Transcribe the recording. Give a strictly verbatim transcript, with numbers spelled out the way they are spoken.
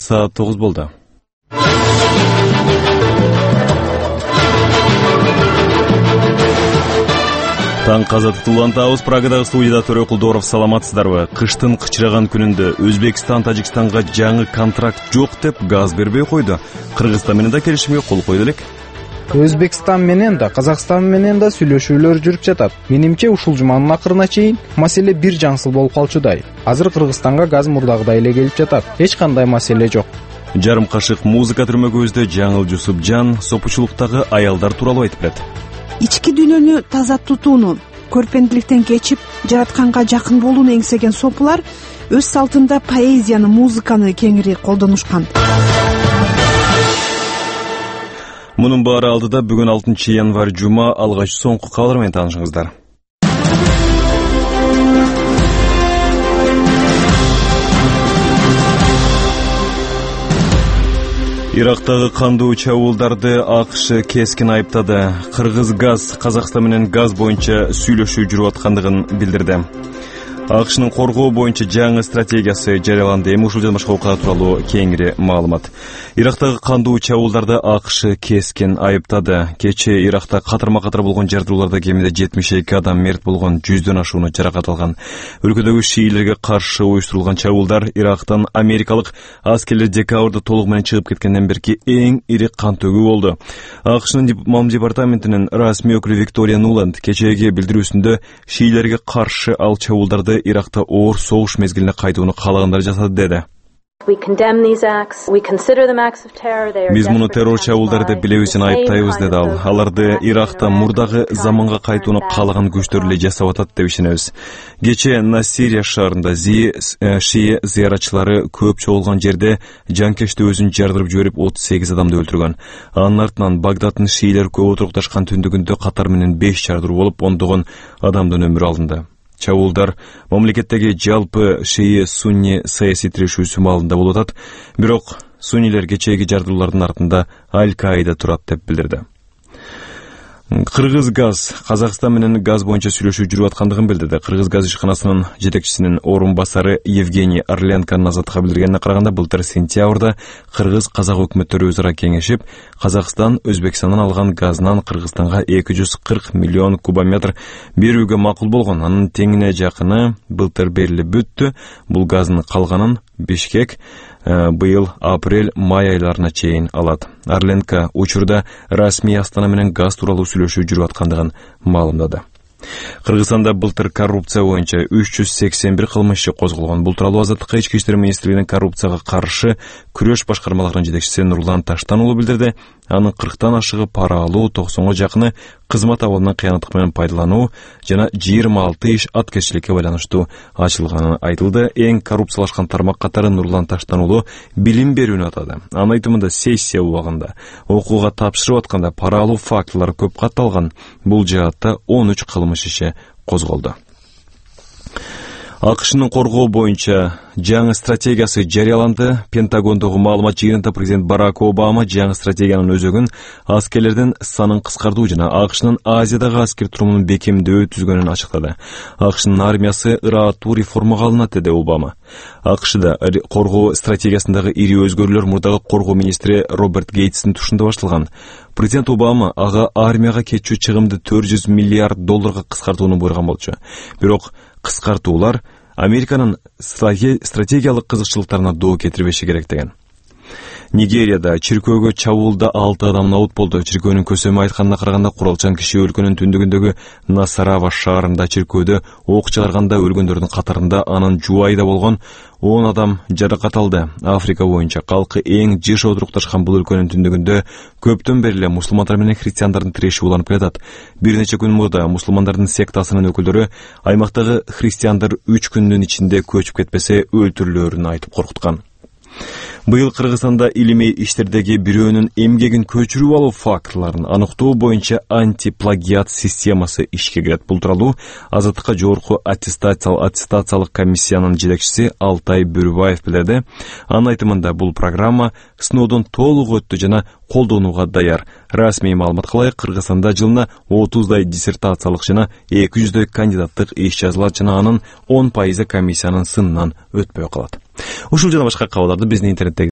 Саат тогуз болду. Таң казаты улантабыз. Прагадагы студияда Төрө Кулдоров. Саламатсыздарбы? Кыштын кычыраган күнүндө Өзбекстан Тажикстанга жаңы контракт жок деп газ бербей койду. Кыргызстан менен да келишимге кол койду элек. Өзбекстан менен да, Казакстан менен да сүйлөшүүлөр жүрүп жатат. Менимче ушул жуманын акырына чейин маселе бир жаңсыл болуп калчудай. Азыр Кыргызстанга газ мурдагыдай эле келип жатат. Эч кандай маселе жок. Жарым кашык музыка түрмөгүбүздө Жаңыл Жусупжан сопучулуктагы аялдар тууралуу айтып берет. Ички дүйнөнү таза тутууну, көрпендиликтен кечип, жаратканга жакын болууну эңсеген сопулар өз салтында поэзияны, музыканы кеңири колдонушкан. Мунун баары алдыда бүгүн алтынчы январь жума алгач соңку кабар менен таанышыңыздар. Ирактагы кандуу чабуулдарды АКШ кескин айыптады. Кыргыз газ Казакстан менен газ боюнча сүйлөшүү жүрүп аткандыгын билдирди. АКШнын коргоо боюнча жаңы стратегиясы жарыяланды. Эми ушул жана башка окуялар тууралуу кеңири маалымат. Ирактагы кандуу чабуулдарды АКШ кескин айыптады. Кечээ Иракта катарма-катар болгон жардырууларда кеминде жетимиш эки адам мерт болгон, жүздөн ашууну жаракат алган. Өлкөдөгү шиилерге каршы уюштурулган чабуулдар Ирактан америкалык аскерлер декабрда толук менен чыгып кеткенден берки эң ири кан төгүү болду. АКШнын Мам департаментинин расмий өкүлү Виктория Нуланд кечээги билдирүүсүндө шиилерге каршы ал чабуулдарды Иракта оор согуш мезгилине кайтууну каалагандар жасады деди. Биз муну террор чабуулдары деп билебиз жана айыптайбыз деди ал. Аларды Иракта мурдагы заманга кайтууну каалаган күчтөр эле жасап атат деп ишенебиз. Кечээ Насирия шаарында шии зыяратчылары көп чогулган жерде жанкечти өзүн жардырып жиберип отуз сегиз адамды өлтүргөн. Анын артынан Багдадтын шиилер көп отурукташкан түндүгүндө катар менен беш жардыруу болуп, ондогон адамдын өмүрү алынды. Чабуулдар мамлекеттеги жалпы шии сунни саясий тирешүүсү маалында болуп атат, бирок суннилер кечээги жардыруулардын артында Аль-Каида турат деп билдирди. Кыргыз газ Казакстан менен газ боюнча сүйлөшүү жүрүп аткандыгын билдирди. Кыргыз газ ишканасынын жетекчисинин орун басары Евгений Орленко Назатка билдиргенине караганда, былтыр сентябрда Кыргыз казак өкмөттөрү өзара кеңешип, Казакстан Өзбекстандан алган газынан Кыргызстанга эки жүз кырк миллион кубометр берүүгө макул болгон. Анын теңине жакыны былтыр берилип бүттү. Бул газдын калганын Бишкек быйыл апрель-май айларына чейин алат. Орленко учурда расмий Астана менен газ тууралуу сүйлөшүү жүрүп аткандыгын маалымдады. Кыргызстанда былтыр коррупция боюнча үч жүз сексен бир кылмыш иши козголгон. Бул тууралуу Азаттыкка ички иштер министрлигинин коррупцияга каршы күрөш башкармаларынын жетекчиси Нурлан Таштан уулу билдирди. Анын кырктан ашыгы пара алуу, токсонго жакыны кызмат абалынан кыянаттык менен пайдалануу жана жыйырма алты иш аткезчиликке байланыштуу ачылганы айтылды. Эң коррупциялашкан тармак катары Нурлан Таштан уулу билим берүүнү атады. Анын айтымында сессия убагында окууга тапшырып атканда пара алуу фактылары көп катталган. Бул жаатта он үч кылмыш иши козголду. АКШнын коргоо боюнча жаңы стратегиясы жарыяланды. Пентагондогу маалымат жыйынында президент Барак Обама жаңы стратегиянын өзөгүн аскерлердин санын кыскартуу жана АКШнын Азиядагы аскер турумунун бекемдөө түзгөнүн ачыктады. АКШнын армиясы ырааттуу реформага алынат деди Обама. АКШда коргоо стратегиясындагы ири өзгөрүүлөр мурдагы коргоо министри Роберт Гейтстин тушунда башталган. Президент Обама ага армияга кетчү чыгымды төрт жүз миллиард долларга кыскартууну буйруган болчу. Бирок кыскартуулар Американын стратегиялык кызыкчылыктарына доо кетирбеши керек деген. Нигерияда чиркөөгө чабуулда алты адам набут болду. Чиркөөнүн көсөмү айтканына караганда, куралчан киши өлкөнүн түндүгүндөгү Насарава шаарында чиркөөдө ок чыгарганда өлгөндөрдүн катарында анын жубайы да болгон он адам жаракат алды. Африка боюнча калкы эң жыш отурукташкан бул өлкөнүн түндүгүндө көптөн бери эле мусулмандар менен христиандардын тиреши уланып келатат. Бир нече күн мурда мусулмандардын сектасынын өкүлдөрү аймактагы христиандар үч күндүн ичинде көчүп кетпесе өлтүрүлөөрүн айтып коркуткан. Быйыл Кыргызстанда илимий иштердеги бирөөнүн эмгегин көчүрүп алуу фактыларын аныктоо боюнча антиплагиат системасы ишке кирет. Бул тууралуу Азаттыкка жогорку аттестациялык комиссиянын жетекчиси Алтай Бөрүбаев билдирди. Анын айтымында бул программа сыноодон толук өттү жана колдонууга даяр. Расмий маалымат кылайык, Кыргызстанда жылына отуздай диссертациялык жана эки жүздөй кандидаттык иш жазылат жана анын он пайызы комиссиянын сынынан өтпөй калат. Ушул жана башка кабарларды биздин интернеттеги